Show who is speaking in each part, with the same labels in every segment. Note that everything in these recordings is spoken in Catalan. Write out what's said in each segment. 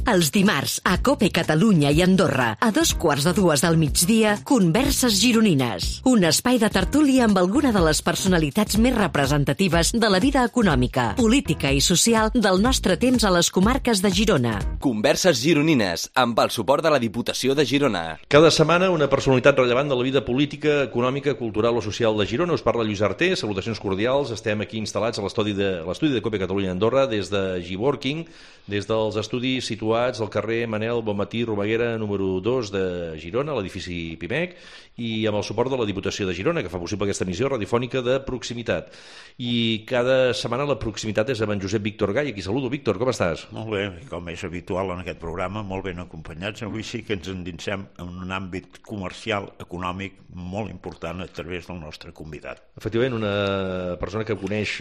Speaker 1: Els dimarts, a COPE Catalunya i Andorra, a 2:15 del migdia, Converses Gironines. Un espai de tertúlia amb alguna de les personalitats més representatives de la vida econòmica, política i social del nostre temps a les comarques de Girona.
Speaker 2: Converses Gironines, amb el suport de la Diputació de Girona.
Speaker 3: Cada setmana una personalitat rellevant de la vida política, econòmica, cultural o social de Girona. Us parla Lluís Arter, salutacions cordials. Estem aquí instal·lats a l'estudi de COPE Catalunya i Andorra des de G-Working, des dels estudis situats al carrer Manel Bonmatí Romaguera número 2 de Girona, a l'edifici PIMEC, i amb el suport de la Diputació de Girona, que fa possible aquesta emissió radiofònica de proximitat. I cada setmana la proximitat és amb en Josep Víctor Gai. Aquí saludo. Víctor, com estàs?
Speaker 4: Molt bé, com és habitual en aquest programa, molt ben acompanyats. Avui sí que ens endinsem en un àmbit comercial, econòmic, molt important a través del nostre convidat.
Speaker 3: Efectivament, una persona que coneix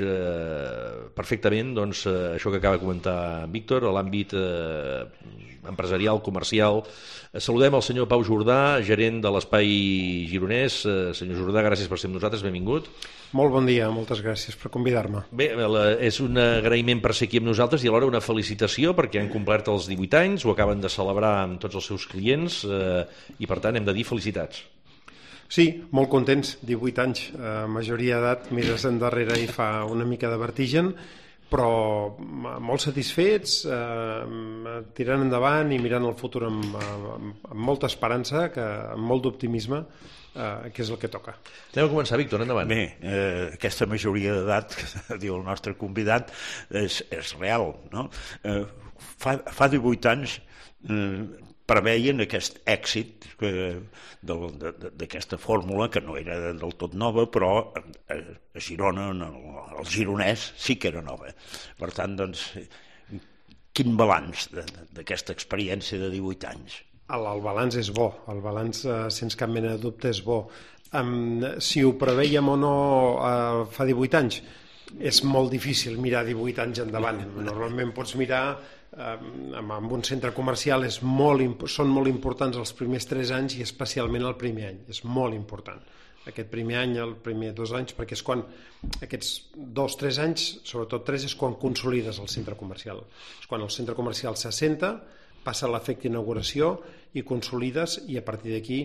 Speaker 3: perfectament això que acaba de comentar Víctor, a l'àmbit empresarial, comercial. Saludem el senyor Pau Jordà, gerent de l'Espai Gironès. Senyor Jordà, gràcies per ser amb nosaltres, benvingut.
Speaker 5: Molt bon dia, moltes gràcies per convidar-me.
Speaker 3: Bé, és un agraïment per ser aquí amb nosaltres i alhora una felicitació perquè han complert els 18 anys, ho acaben de celebrar amb tots els seus clients i per tant hem de dir felicitats.
Speaker 5: Sí, molt contents, 18 anys, majoria d'edat, mires endarrere i fa una mica de vertigen, però molt satisfets, tirant endavant i mirant el futur amb molta esperança, amb molt d'optimisme, que és el que toca.
Speaker 3: Anem a començar, Víctor, endavant.
Speaker 4: Bé, aquesta majoria d'edat, que diu el nostre convidat, és real, no? Fa 18 anys preveien aquest èxit d'aquesta fórmula, que no era del tot nova, però a Girona, el gironès, sí que era nova. Per tant, doncs, quin balanç d'aquesta experiència de 18 anys?
Speaker 5: El balanç és bo, el balanç, sense cap mena de dubte, és bo. Si ho preveiem o no fa 18 anys, és molt difícil mirar 18 anys endavant. Normalment pots mirar amb un centre comercial, són molt importants els primers 3 anys i especialment el primer any, és molt important aquest primer any, el primer 2 anys, perquè és quan aquests 2-3 anys, sobretot 3, és quan consolides el centre comercial, és quan el centre comercial s'assenta, passa l'efecte inauguració i consolides, i a partir d'aquí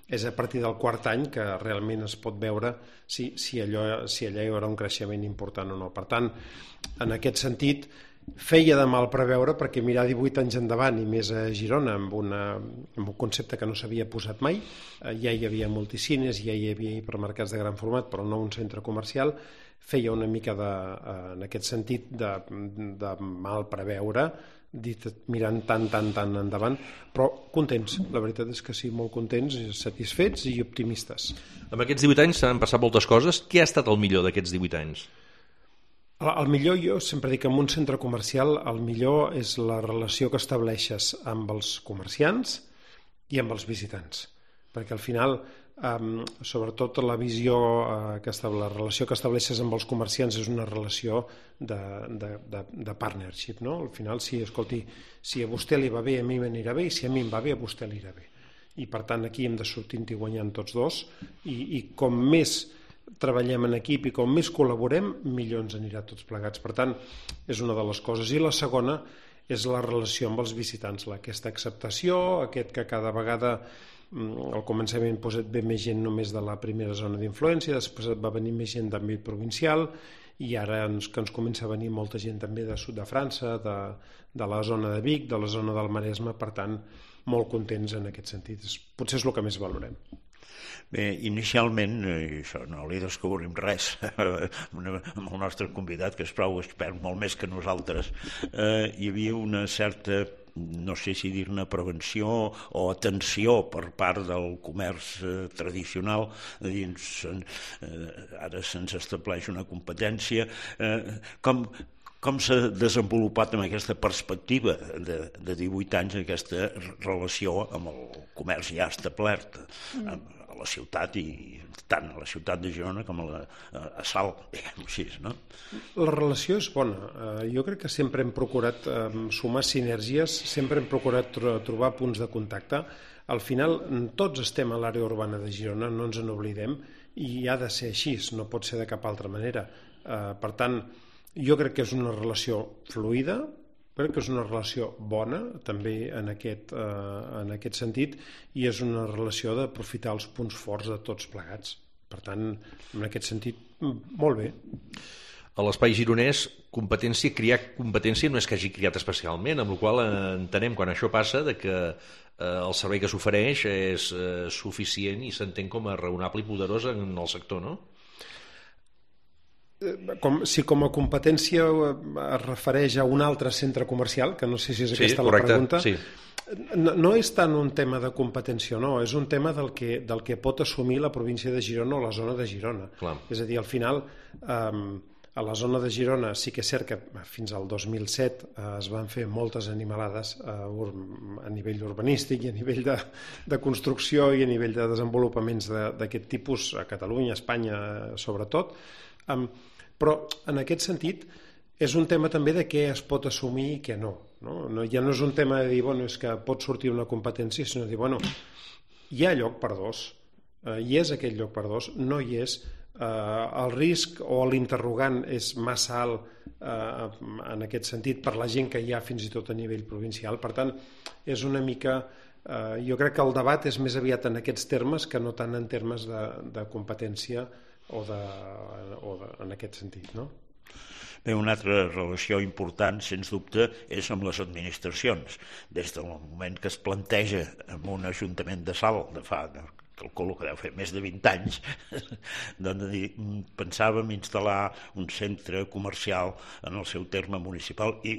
Speaker 5: és a partir del 4è any que realment es pot veure si allà hi haurà un creixement important o no. Per tant, en aquest sentit, feia de mal preveure, perquè mirar 18 anys endavant, i més a Girona, amb un concepte que no s'havia posat mai, ja hi havia multicines, ja hi havia hipermercats de gran format, però no un centre comercial, feia una mica en aquest sentit de mal preveure, mirant tan endavant, però contents, la veritat és que sí, molt contents, satisfets i optimistes.
Speaker 3: Amb aquests 18 anys s'han passat moltes coses. Què ha estat el millor d'aquests 18 anys?
Speaker 5: El millor, jo sempre dic que en un centre comercial el millor és la relació que estableixes amb els comerciants i amb els visitants, perquè al final, sobretot la relació que estableixes amb els comerciants és una relació de partnership, no? Al final, si a vostè li va bé, a mi m'anirà bé, i si a mi em va bé, a vostè li irà bé. I per tant aquí hem de sortir-hi guanyant tots dos, i com més treballem en equip i com més col·laborem, millor ens anirà tots plegats. Per tant, és una de les coses. I la segona és la relació amb els visitants, aquesta acceptació, aquest que cada vegada al començament et ve més gent només de la primera zona d'influència, després et va venir més gent d'àmbit provincial, i ara que ens comença a venir molta gent també de sud de França, de la zona de Vic, de la zona del Maresme. Per tant, molt contents en aquest sentit. Potser és el que més valorem.
Speaker 4: Bé, inicialment, això no li descobrim res amb el nostre convidat, que és prou expert, molt més que nosaltres, hi havia una certa, no sé si dir-ne prevenció o atenció per part del comerç tradicional, ara se'ns estableix una competència. Com s'ha desenvolupat amb aquesta perspectiva de 18 anys aquesta relació amb el comerç ja establert a la ciutat, i tant a la ciutat de Girona com a Salt, diguem-ho així, no?
Speaker 5: La relació és bona. Jo crec que sempre hem procurat sumar sinergies, sempre hem procurat trobar punts de contacte. Al final, tots estem a l'àrea urbana de Girona, no ens n'oblidem, i ha de ser així, no pot ser de cap altra manera. Per tant, jo crec que és una relació fluida, crec que és una relació bona també en aquest sentit, i és una relació d'aprofitar els punts forts de tots plegats. Per tant, en aquest sentit, molt bé.
Speaker 3: A l'espai gironès, criar competència no és que hagi criat especialment, amb la qual entenem, quan això passa, que el servei que s'ofereix és suficient i s'entén com a raonable i poderós en el sector, no?
Speaker 5: Si com a competència es refereix a un altre centre comercial, que no sé si és aquesta la pregunta,
Speaker 3: sí.
Speaker 5: No és tant un tema de competència o no, és un tema del que pot assumir la província de Girona o la zona de Girona.
Speaker 3: Clar.
Speaker 5: És a dir, al final, a la zona de Girona sí que és cert que fins al 2007 es van fer moltes animalades a nivell urbanístic i a nivell de construcció i a nivell de desenvolupaments d'aquest tipus a Catalunya, a Espanya sobretot, però en aquest sentit és un tema també de què es pot assumir i què no. Ja no és un tema de dir, és que pot sortir una competència, sinó de dir, hi ha lloc per dos, hi és aquest lloc per dos, no hi és, el risc o l'interrogant és massa alt en aquest sentit per la gent que hi ha fins i tot a nivell provincial. Per tant, és una mica... Jo crec que el debat és més aviat en aquests termes que no tant en termes de competència o en aquest sentit, no?
Speaker 4: Bé, una altra relació important, sens dubte, és amb les administracions. Des del moment que es planteja en un ajuntament de Salt, de fa, calculo que deu fer més de 20 anys, doncs pensàvem instal·lar un centre comercial en el seu terme municipal i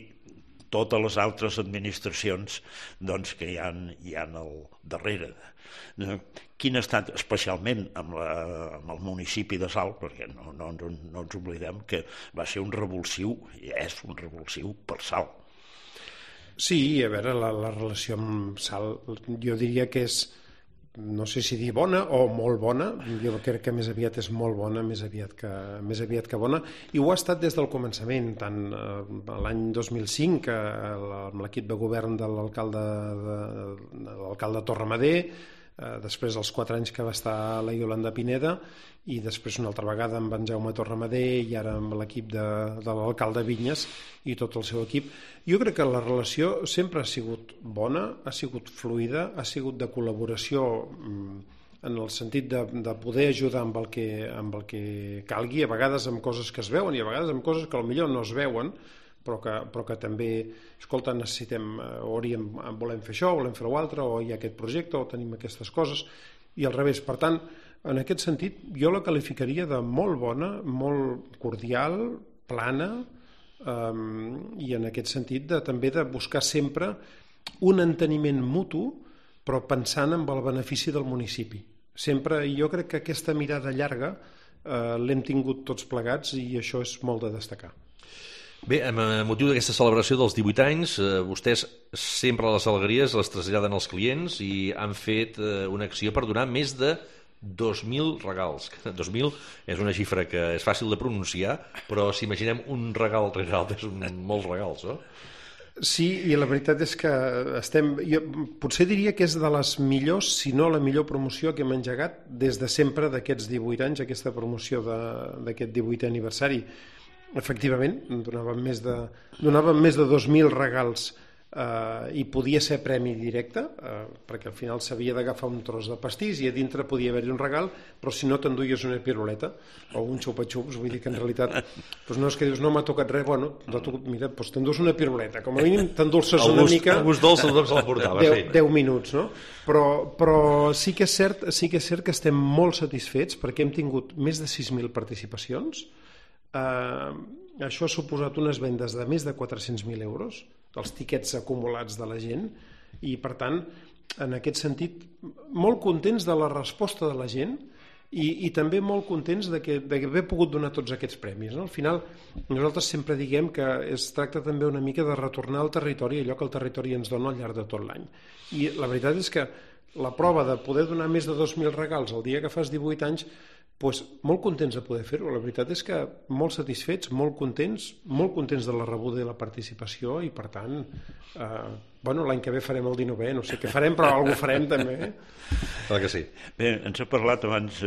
Speaker 4: totes les altres administracions que hi ha al darrere. Quin ha estat, especialment amb el municipi de Salt, perquè no ens oblidem que va ser un revulsiu, i és un revulsiu per Salt.
Speaker 5: Sí, a veure, la relació amb Salt, jo diria que és, no sé si dir bona o molt bona, jo crec que més aviat és molt bona, més aviat que bona, i ho ha estat des del començament, tant l'any 2005, amb l'equip de govern de l'alcalde Torremadé, després dels 4 anys que va estar la Iolanda Pineda, i després una altra vegada amb en Jaume Torremadé i ara amb l'equip de l'alcalde Vinyes i tot el seu equip. Jo crec que la relació sempre ha sigut bona, ha sigut fluida, ha sigut de col·laboració en el sentit de poder ajudar amb el que calgui, a vegades amb coses que es veuen i a vegades amb coses que potser no es veuen, però que també, escolta, necessitem, volem fer això, volem fer l'altre, o hi ha aquest projecte, o tenim aquestes coses, i al revés. Per tant, en aquest sentit, jo la qualificaria de molt bona, molt cordial, plana, i en aquest sentit també de buscar sempre un enteniment mutu, però pensant en el benefici del municipi. Sempre, jo crec que aquesta mirada llarga l'hem tingut tots plegats i això és molt de destacar.
Speaker 3: Bé, amb motiu d'aquesta celebració dels 18 anys, vostès sempre les alegries les traslladen als clients i han fet una acció per donar més de 2.000 regals. 2.000 és una xifra que és fàcil de pronunciar, però si imaginem un regal són molts regals, no?
Speaker 5: Sí, i la veritat és que jo potser diria que és de les millors, si no la millor promoció que hem engegat des de sempre d'aquests 18 anys, aquesta promoció d'aquest 18è aniversari. Efectivament, donàvem més de 2.000 regals i podia ser premi directe, perquè al final s'havia d'agafar un tros de pastís i a dintre podia haver-hi un regal, però si no t'enduies una piruleta o un xupa-xups, vull dir que en realitat no és que dius no m'ha tocat res, mira, t'endús una piruleta, com a mínim t'endolces una mica.
Speaker 3: El gust dolç se'l portava, sí.
Speaker 5: 10 minuts, no? Però sí que és cert que estem molt satisfets perquè hem tingut més de 6.000 participacions. Això ha suposat unes vendes de més de 400.000 euros dels tiquets acumulats de la gent i per tant en aquest sentit molt contents de la resposta de la gent i també molt contents d'haver pogut donar tots aquests premis, no? Al final nosaltres sempre diguem que es tracta també una mica de retornar al territori allò que el territori ens dona al llarg de tot l'any i la veritat és que la prova de poder donar més de 2.000 regals el dia que fas 18 anys, molt contents de poder fer-ho. La veritat és que molt satisfets, molt contents de la rebuda i la participació i per tant Bueno, l'any que ve farem el 19è, no sé què farem, però alguna cosa farem també.
Speaker 3: Clar que sí.
Speaker 4: Bé, ens ha parlat abans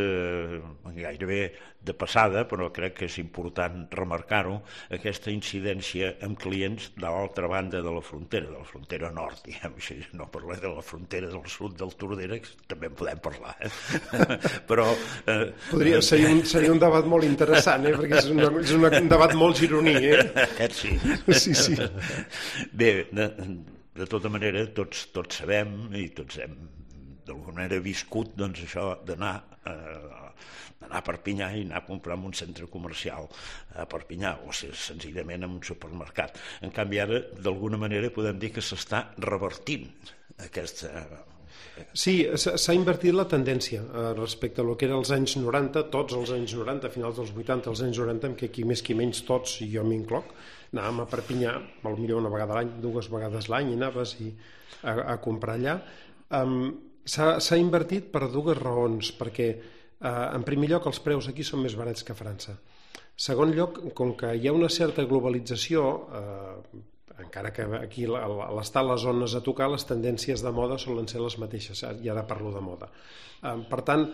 Speaker 4: gairebé de passada, però crec que és important remarcar-ho, aquesta incidència amb clients de l'altra banda de la frontera nord, diguem així, no parlem de la frontera del sud del Tordera, que també en podem parlar, però...
Speaker 5: Seria un debat molt interessant, perquè és un debat molt gironí,
Speaker 4: Aquest sí.
Speaker 5: Sí.
Speaker 4: Bé, de tota manera, tots sabem i tots hem d'alguna manera viscut doncs, això d'anar a Perpinyà i anar a comprar en un centre comercial a Perpinyà o senzillament en un supermercat. En canvi, ara, d'alguna manera, podem dir que s'està revertint aquesta...
Speaker 5: Sí, s'ha invertit la tendència respecte a lo que era els anys 90, tots els anys 90, a finals dels 80, els anys 90, en què qui més qui menys tots, i jo m'incloc, anàvem a Perpinyà, potser una vegada a l'any, 2 vegades l'any, i anaves a comprar allà. S'ha invertit per 2 raons, perquè en primer lloc els preus aquí són més barats que a França. Segon lloc, com que hi ha una certa globalització, encara que aquí l'estar les zones a tocar, les tendències de moda solen ser les mateixes, i ara parlo de moda. Per tant,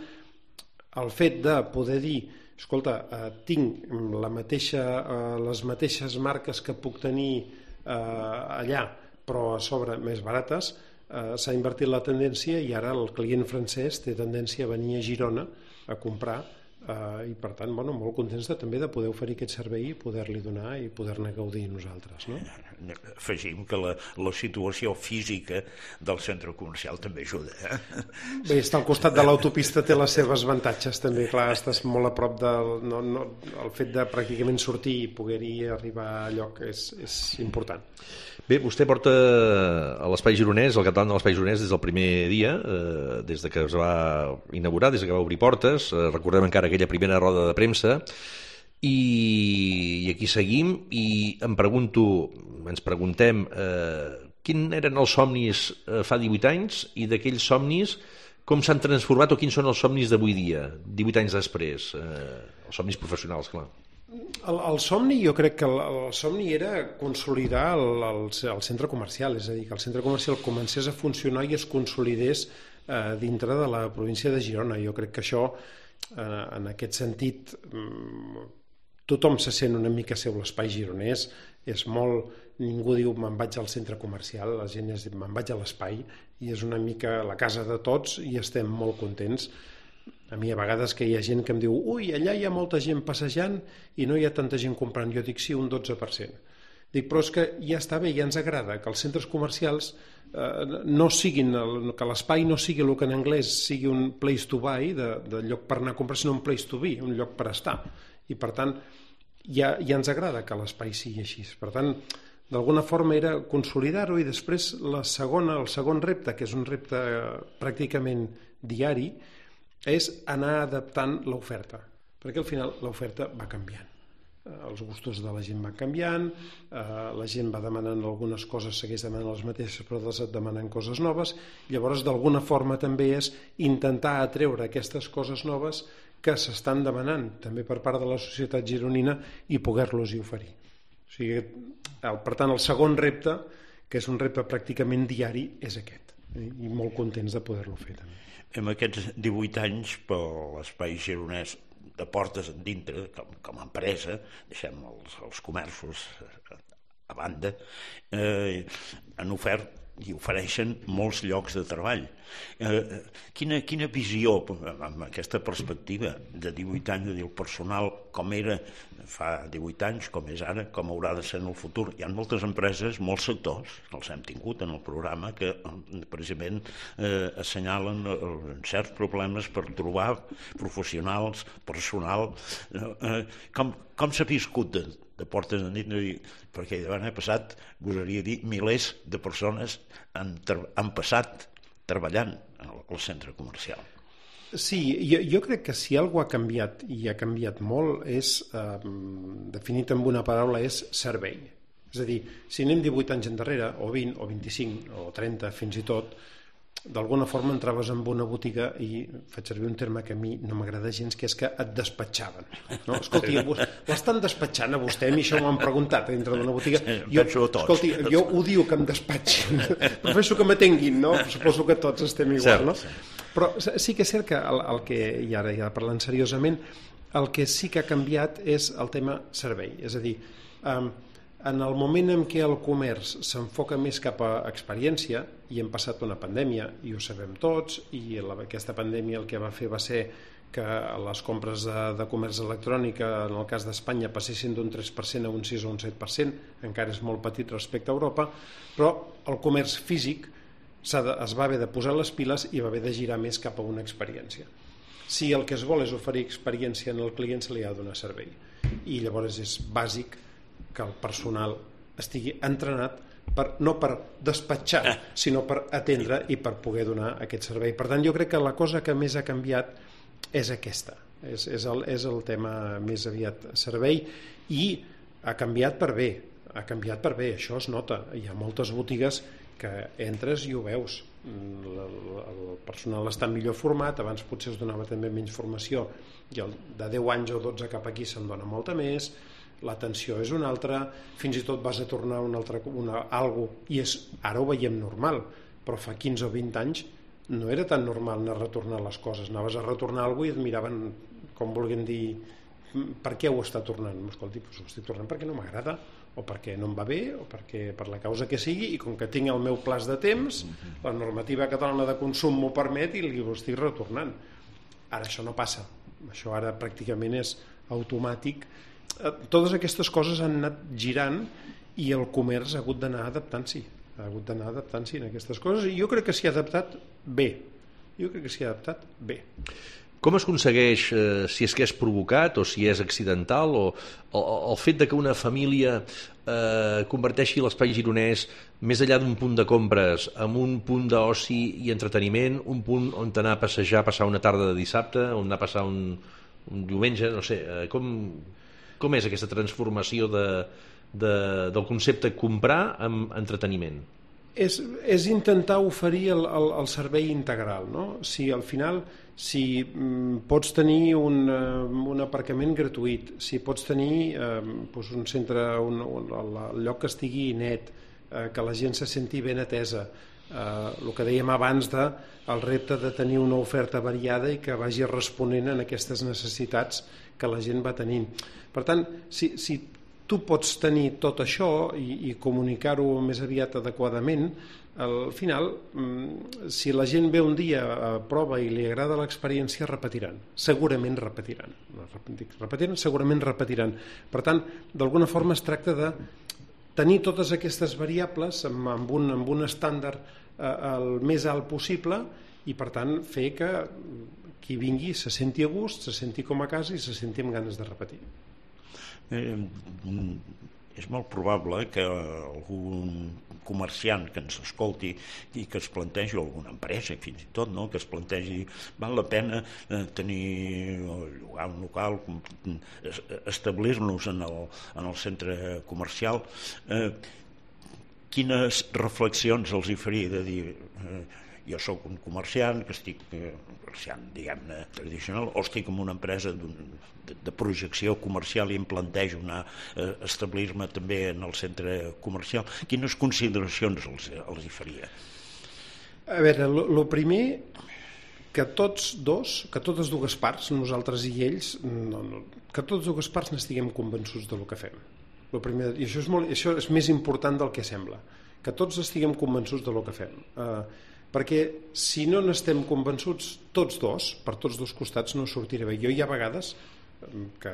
Speaker 5: el fet de poder dir, escolta, tinc les mateixes marques que puc tenir allà, però a sobre més barates, s'ha invertit la tendència i ara el client francès té tendència a venir a Girona a comprar i per tant, molt contents també de poder oferir aquest servei i poder-li donar i poder-ne gaudir nosaltres, no?
Speaker 4: Afegim que la situació física del centre comercial també ajuda.
Speaker 5: Bé, estar al costat de l'autopista té les seves avantatges també, clar, estàs molt a prop el fet de pràcticament sortir i poder-hi arribar a lloc és important.
Speaker 3: Bé, vostè porta a l'Espai Gironès, al capdavant de l'Espai Gironès des del primer dia, des de que es va inaugurar, des que va obrir portes, recordem encara aquella primera roda de premsa, i aquí seguim, i ens preguntem quins eren els somnis fa 18 anys i d'aquells somnis com s'han transformat o quins són els somnis d'avui dia, 18 anys després, els somnis professionals, clar.
Speaker 5: El somni, jo crec que el somni era consolidar el centre comercial, és a dir, que el centre comercial comencés a funcionar i es consolidés dintre de la província de Girona. Jo crec que això, en aquest sentit, tothom se sent una mica seu l'espai gironès, és molt... Ningú diu me'n vaig al centre comercial, la gent diu me'n vaig a l'espai, i és una mica la casa de tots i estem molt contents. A mi a vegades que hi ha gent que em diu ui, allà hi ha molta gent passejant i no hi ha tanta gent comprant. Jo dic sí, un 12%. Dic, però és que ja està bé, ja ens agrada que els centres comercials no siguin, que l'espai no sigui el que en anglès sigui un place to buy, de lloc per anar a comprar, sinó un place to be, un lloc per estar. I per tant, ja ens agrada que l'espai sigui així. Per tant, d'alguna forma era consolidar-ho i després el segon repte, que és un repte pràcticament diari, és anar adaptant l'oferta, perquè al final l'oferta va canviant. Els gustos de la gent van canviant, la gent va demanant algunes coses, segueix demanant les mateixes, però demanant coses noves. Llavors, d'alguna forma també és intentar atreure aquestes coses noves que s'estan demanant també per part de la societat gironina i poder-los-hi oferir. O sigui, per tant, el segon repte, que és un repte pràcticament diari, és aquest, i molt contents de poder-lo fer també.
Speaker 4: En aquests 18 anys per l'Espai Gironès de portes endintre, com a empresa, deixem els comerços a banda, han ofert i ofereixen molts llocs de treball. Quina visió, amb aquesta perspectiva de 18 anys, de dir el personal com era fa 18 anys, com és ara, com haurà de ser en el futur? Hi ha moltes empreses, molts sectors, els hem tingut en el programa, que precisament assenyalen certs problemes per trobar professionals, personal. Com s'ha viscut de portes endins? Perquè l'any passat, gosaria dir, milers de persones han passat treballant al centre comercial.
Speaker 5: Sí, jo crec que si alguna cosa ha canviat, i ha canviat molt, és, definit amb una paraula, és servei. És a dir, si anem 18 anys endarrere, o 20, o 25, o 30, fins i tot, d'alguna forma entraves en una botiga i faig servir un terme que a mi no m'agrada gens, que és que et despatxaven, no? Escolti, l'estan despatxant a vostè? A mi això m'ho han preguntat dintre d'una botiga. Escolti, jo odio que em despatxin, prefereixo que m'atenguin, no? Suposo que tots estem igual, no? Però sí que és cert que el que, i ara ja parlant seriosament, el que sí que ha canviat és el tema servei, és a dir, en el moment en què el comerç s'enfoca més cap a experiència, i hem passat una pandèmia, i ho sabem tots, i aquesta pandèmia el que va fer va ser que les compres de comerç electrònic, en el cas d'Espanya, passessin d'un 3% a un 6 o un 7%, encara és molt petit respecte a Europa, però el comerç físic es va haver de posar les piles i va haver de girar més cap a una experiència. Si el que es vol és oferir experiència en el client, se li ha de donar servei. I llavors és bàsic que el personal estigui entrenat no per despatxar, sinó per atendre i per poder donar aquest servei. Per tant, jo crec que la cosa que més ha canviat és aquesta, és el tema més aviat servei, i ha canviat per bé, això es nota. Hi ha moltes botigues que entres i ho veus, el personal està millor format, abans potser es donava també menys formació, i de 10 anys o 12 cap aquí se'n dona molta més, l'atenció és una altra, fins i tot vas a tornar algo, i ara ho veiem normal, però fa 15 o 20 anys no era tan normal anar a retornar les coses, anaves a retornar alguna cosa i et miraven com volguem dir, per què ho està tornant? Escolti, ho estic tornant perquè no m'agrada, o perquè no em va bé, o perquè per la causa que sigui, i com que tinc el meu plaç de temps, la normativa catalana de consum m'ho permet i ho estic retornant. Ara això no passa, això ara pràcticament és automàtic. Totes aquestes coses han anat girant i el comerç ha hagut d'anar adaptant-s'hi, en aquestes coses, i jo crec que s'hi ha adaptat bé.
Speaker 3: Com es aconsegueix, si és que és provocat o si és accidental, o el fet de que una família converteixi l'espai gironès, més enllà d'un punt de compres, en un punt d'oci i entreteniment, un punt on anar a passejar, passar una tarda de dissabte, on anar a passar un diumenge, no sé, com és aquesta transformació del concepte comprar amb entreteniment?
Speaker 5: És intentar oferir el servei integral, no? Si al final pots tenir un aparcament gratuït, si pots tenir un centre, el lloc que estigui net, que la gent se senti ben atesa, el que dèiem abans del repte de tenir una oferta variada i que vagi responent a aquestes necessitats que la gent va tenint. Per tant, si tu pots tenir tot això i comunicar-ho més aviat adequadament, al final, si la gent ve un dia, prova i li agrada l'experiència, repetiran. Segurament repetiran. Segurament repetiran. Per tant, d'alguna forma es tracta de tenir totes aquestes variables amb un estàndard el més alt possible, i per tant fer que qui vingui se senti a gust, se senti com a casa i se senti amb ganes de repetir.
Speaker 4: És molt probable que algun comerciant que ens escolti i que es plantegi, alguna empresa fins i tot, no? Que es plantegi, val la pena tenir llogar un local, establir-nos en el centre comercial. Quines reflexions els hi faria de dir jo soc un comerciant, que estic comerciant, diguem-ne, tradicional, o estic en una empresa de projecció comercial i em plantejo anar a establir-me també en el centre comercial. Quines consideracions els hi faria?
Speaker 5: A veure, el primer, que totes dues parts, nosaltres i ells, que totes dues parts n'estiguem convençuts del que fem. I això és més important del que sembla, que tots estiguem convençuts del que fem. Perquè si no n'estem convençuts tots dos, per tots dos costats no sortirà bé. Jo hi ha vegades que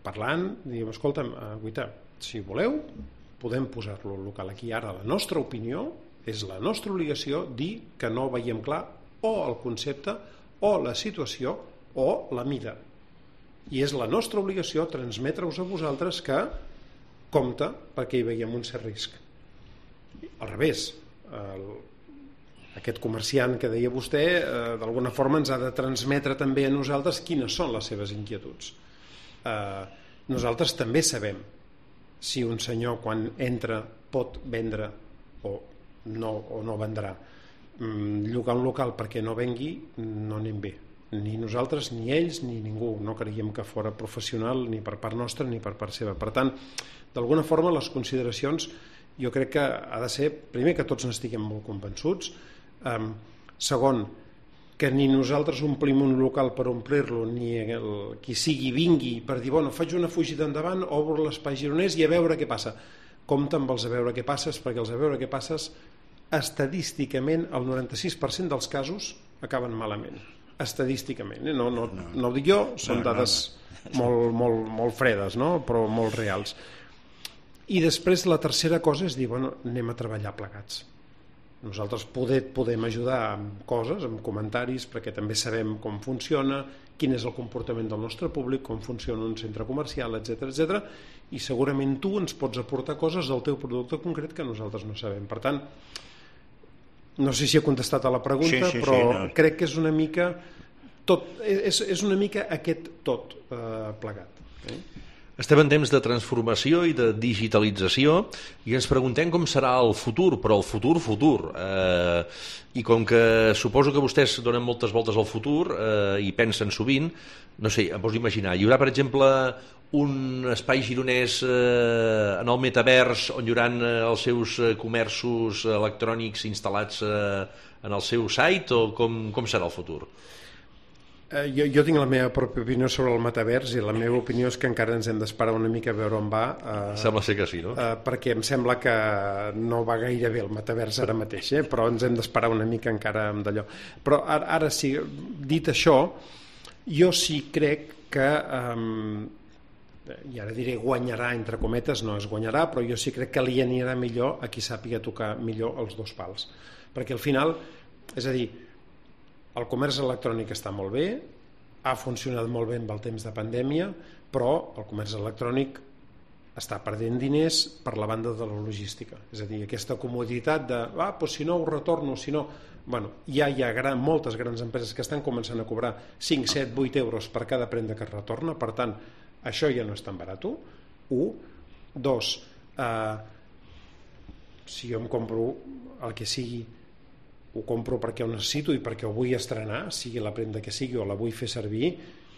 Speaker 5: parlant diem, escolta'm, Guita, si voleu podem posar-lo al local aquí. Ara la nostra opinió és la nostra obligació dir que no veiem clar o el concepte o la situació o la mida, i és la nostra obligació transmetre-us a vosaltres que compte perquè hi veiem un cert risc. Al revés, aquest comerciant que deia vostè d'alguna forma ens ha de transmetre també a nosaltres quines són les seves inquietuds. Nosaltres també sabem si un senyor quan entra pot vendre o no vendrà. llogar un local perquè no vengui no anem bé, ni nosaltres ni ells ni ningú, no creiem que fora professional ni per part nostra ni per part seva. Per tant, d'alguna forma les consideracions jo crec que ha de ser, primer, que tots n'estiguem molt convençuts, segon, que ni nosaltres omplim un local per omplir-lo, ni qui sigui vingui per dir, bueno, faig una fugida endavant, obro l'espai gironès i a veure què passa. Compte amb els a veure què passes, perquè els a veure què passes estadísticament el 96% dels casos acaben malament, estadísticament, no ho dic jo, són dades molt fredes, no? Però molt reals. I després la tercera cosa és dir, bueno, anem a treballar plegats. Nosaltres podem ajudar amb coses, amb comentaris, perquè també sabem com funciona, quin és el comportament del nostre públic, com funciona un centre comercial, etc. I segurament tu ens pots aportar coses del teu producte concret que nosaltres no sabem. Per tant, no sé si he contestat a la pregunta, però crec que és una mica tot, és una mica aquest tot plegat.
Speaker 3: Estem en temps de transformació i de digitalització i ens preguntem com serà el futur, però el futur. I com que suposo que vostès donen moltes voltes al futur i pensen sovint, no sé, em pots imaginar, hi haurà, per exemple, un espai gironès en el metavers on hi haurà els seus comerços electrònics instal·lats en el seu site, o com serà el futur?
Speaker 5: Jo tinc la meva pròpia opinió sobre el metavers i la meva opinió és que encara ens hem d'esperar una mica a veure on va.
Speaker 3: Sembla ser que sí, no?
Speaker 5: Perquè em sembla que no va gaire bé el metavers ara mateix, però ens hem d'esperar una mica encara amb d'allò. Però ara sí, dit això, jo sí crec que, i ara diré guanyarà, entre cometes, no es guanyarà, però jo sí crec que li anirà millor a qui sàpiga tocar millor els dos pals. Perquè al final, és a dir, el comerç electrònic està molt bé, ha funcionat molt bé amb el temps de pandèmia, però el comerç electrònic està perdent diners per la banda de la logística. És a dir, aquesta comoditat de, doncs si no ho retorno, si no... Bueno, ja hi ha moltes grans empreses que estan començant a cobrar 5, 7, 8 euros per cada prenda que es retorna, per tant, això ja no és tan barat. 1. 2. Si jo em compro el que sigui, ho compro perquè ho necessito i perquè ho vull estrenar, sigui la prenda que sigui o la vull fer servir,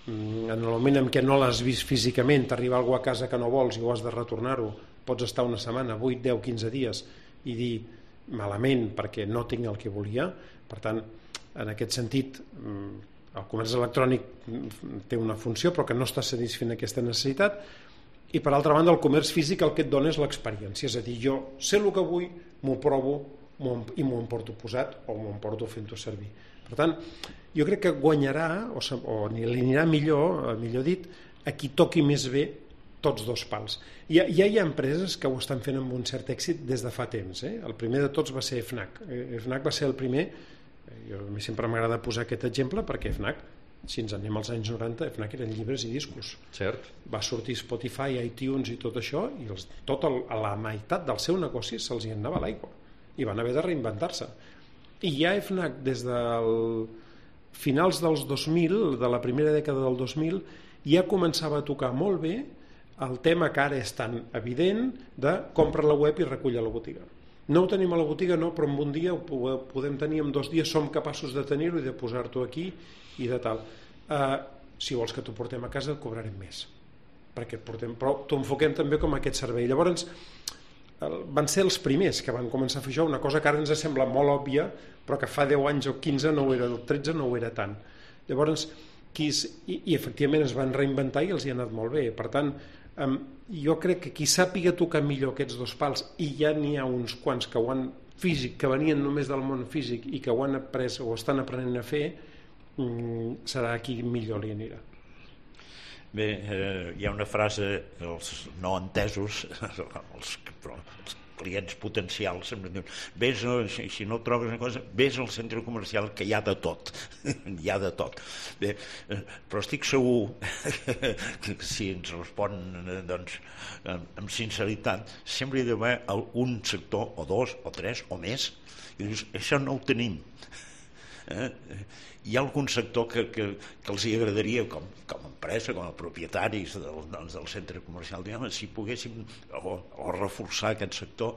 Speaker 5: en el moment en què no l'has vist físicament, t'arriba algú a casa que no vols i ho has de retornar-ho, pots estar una setmana, 8, 10, 15 dies i dir malament perquè no tinc el que volia. Per tant, en aquest sentit, el comerç electrònic té una funció però que no està satisfent aquesta necessitat. I per altra banda, el comerç físic el que et dona és l'experiència, és a dir, jo sé el que vull, m'ho provo i m'ho emporto posat o m'ho emporto fent-ho servir. Per tant, jo crec que guanyarà o li anirà millor dit, a qui toqui més bé tots dos pals. Ja hi ha empreses que ho estan fent amb un cert èxit des de fa temps. El primer de tots va ser FNAC. FNAC va ser el primer, a mi sempre m'agrada posar aquest exemple perquè FNAC, si ens anem als anys 90, FNAC eren llibres i discos.
Speaker 3: Cert.
Speaker 5: Va sortir Spotify, iTunes i tot això, i la meitat del seu negoci se'ls hi anava a l'aigua i van haver de reinventar-se. I ja FNAC des del finals dels 2000, de la primera dècada del 2000, ja començava a tocar molt bé el tema que ara és tan evident de compra a la web i recull a la botiga. No ho tenim a la botiga, no, però en un dia ho podem tenir, en 2 dies som capaços de tenir-ho i de posar-t'ho aquí i de tal. Si vols que t'ho portem a casa et cobrarem més, perquè però t'ho enfoquem també com aquest servei. Llavors van ser els primers que van començar a fer això, una cosa que ara ens sembla molt òbvia però que fa 10 anys o 15 no ho era, el 13 no ho era tant. Llavors i efectivament es van reinventar i els hi ha anat molt bé. Per tant, jo crec que qui sàpiga tocar millor aquests dos pals, i ja n'hi ha uns quants que ho han físic, que venien només del món físic i que ho han après o estan aprenent a fer, serà qui millor li anirà.
Speaker 4: Bé, hi ha una frase que els no entesos, els clients potencials sempre diuen, vés, si no trobes una cosa, vés al centre comercial que hi ha de tot. Hi ha de tot. Bé, però estic segur que si ens respon doncs, amb sinceritat, sempre hi ha d'haver un sector, o 2, o 3, o més, i dius, això no ho tenim. Hi ha algun sector que els hi agradaria com a empresa, com a propietaris del centre comercial, si poguéssim o reforçar aquest sector,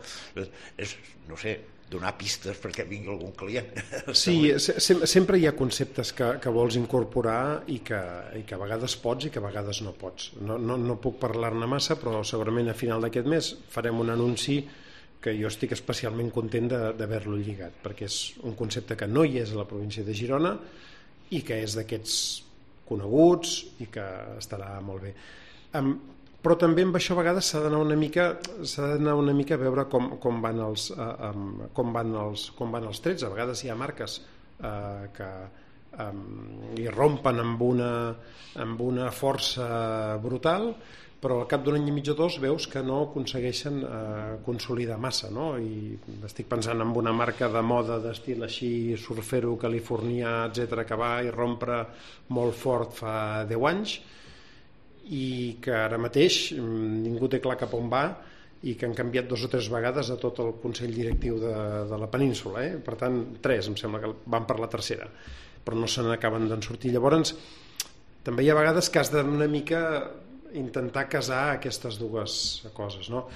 Speaker 4: no sé, donar pistes perquè vingui algun client.
Speaker 5: Sí, sempre hi ha conceptes que vols incorporar i que a vegades pots i que a vegades no pots. No puc parlar-ne massa, però segurament a final d'aquest mes farem un anunci que jo estic especialment content d'haver-lo lligat, perquè és un concepte que no hi és a la província de Girona i que és d'aquests coneguts i que estarà molt bé. Però també amb això a vegades s'ha d'anar una mica a veure com van els trets. A vegades hi ha marques que hi rompen amb una força brutal, però al cap d'un any i mig o dos veus que no aconsegueixen consolidar massa, no? I estic pensant en una marca de moda d'estil així surfero, californià, etc, que va i rompre molt fort fa 10 anys i que ara mateix ningú té clar cap on va i que han canviat 2 o 3 vegades a tot el Consell Directiu de la península. Per tant, 3, em sembla que van per la tercera, però no se n'acaben d'en sortir. Llavors, també hi ha vegades que has d'una mica intentar casar aquestes dues coses, no?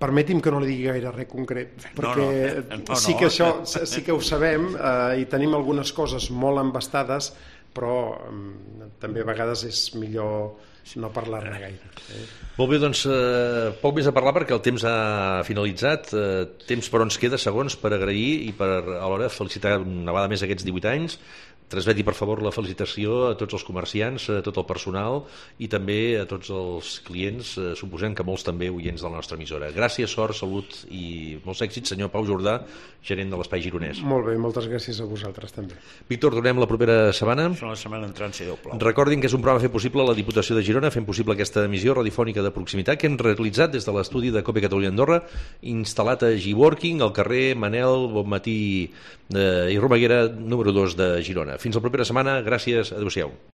Speaker 5: Permeti'm que no li digui gaire res concret, perquè sí que això sí que ho sabem i tenim algunes coses molt embastades, però també a vegades és millor no parlar-ne gaire.
Speaker 3: Molt bé, doncs poc més a parlar perquè el temps ha finalitzat. Temps però ens queda segons per agrair i per alhora felicitar una vegada més aquests 18 anys. Transmeti, per favor, la felicitació a tots els comerciants, a tot el personal i també a tots els clients, suposem que molts també oients de la nostra emissora. Gràcies, sort, salut i molts èxits, senyor Pau Jordà, gerent de l'Espai Gironès.
Speaker 5: Molt bé, moltes gràcies a vosaltres també.
Speaker 3: Víctor, tornem la propera setmana.
Speaker 4: La setmana entrant, si Déu plau.
Speaker 3: Recordin que és un programa fet possible a la Diputació de Girona, fent possible aquesta emissió radiofònica de proximitat que hem realitzat des de l'estudi de COPE Catalunya Andorra, instal·lat a G-Working, al carrer Manel Bonmatí i Romaguera, número 2 de Girona. Fins la propera setmana. Gràcies. Adéu-siau.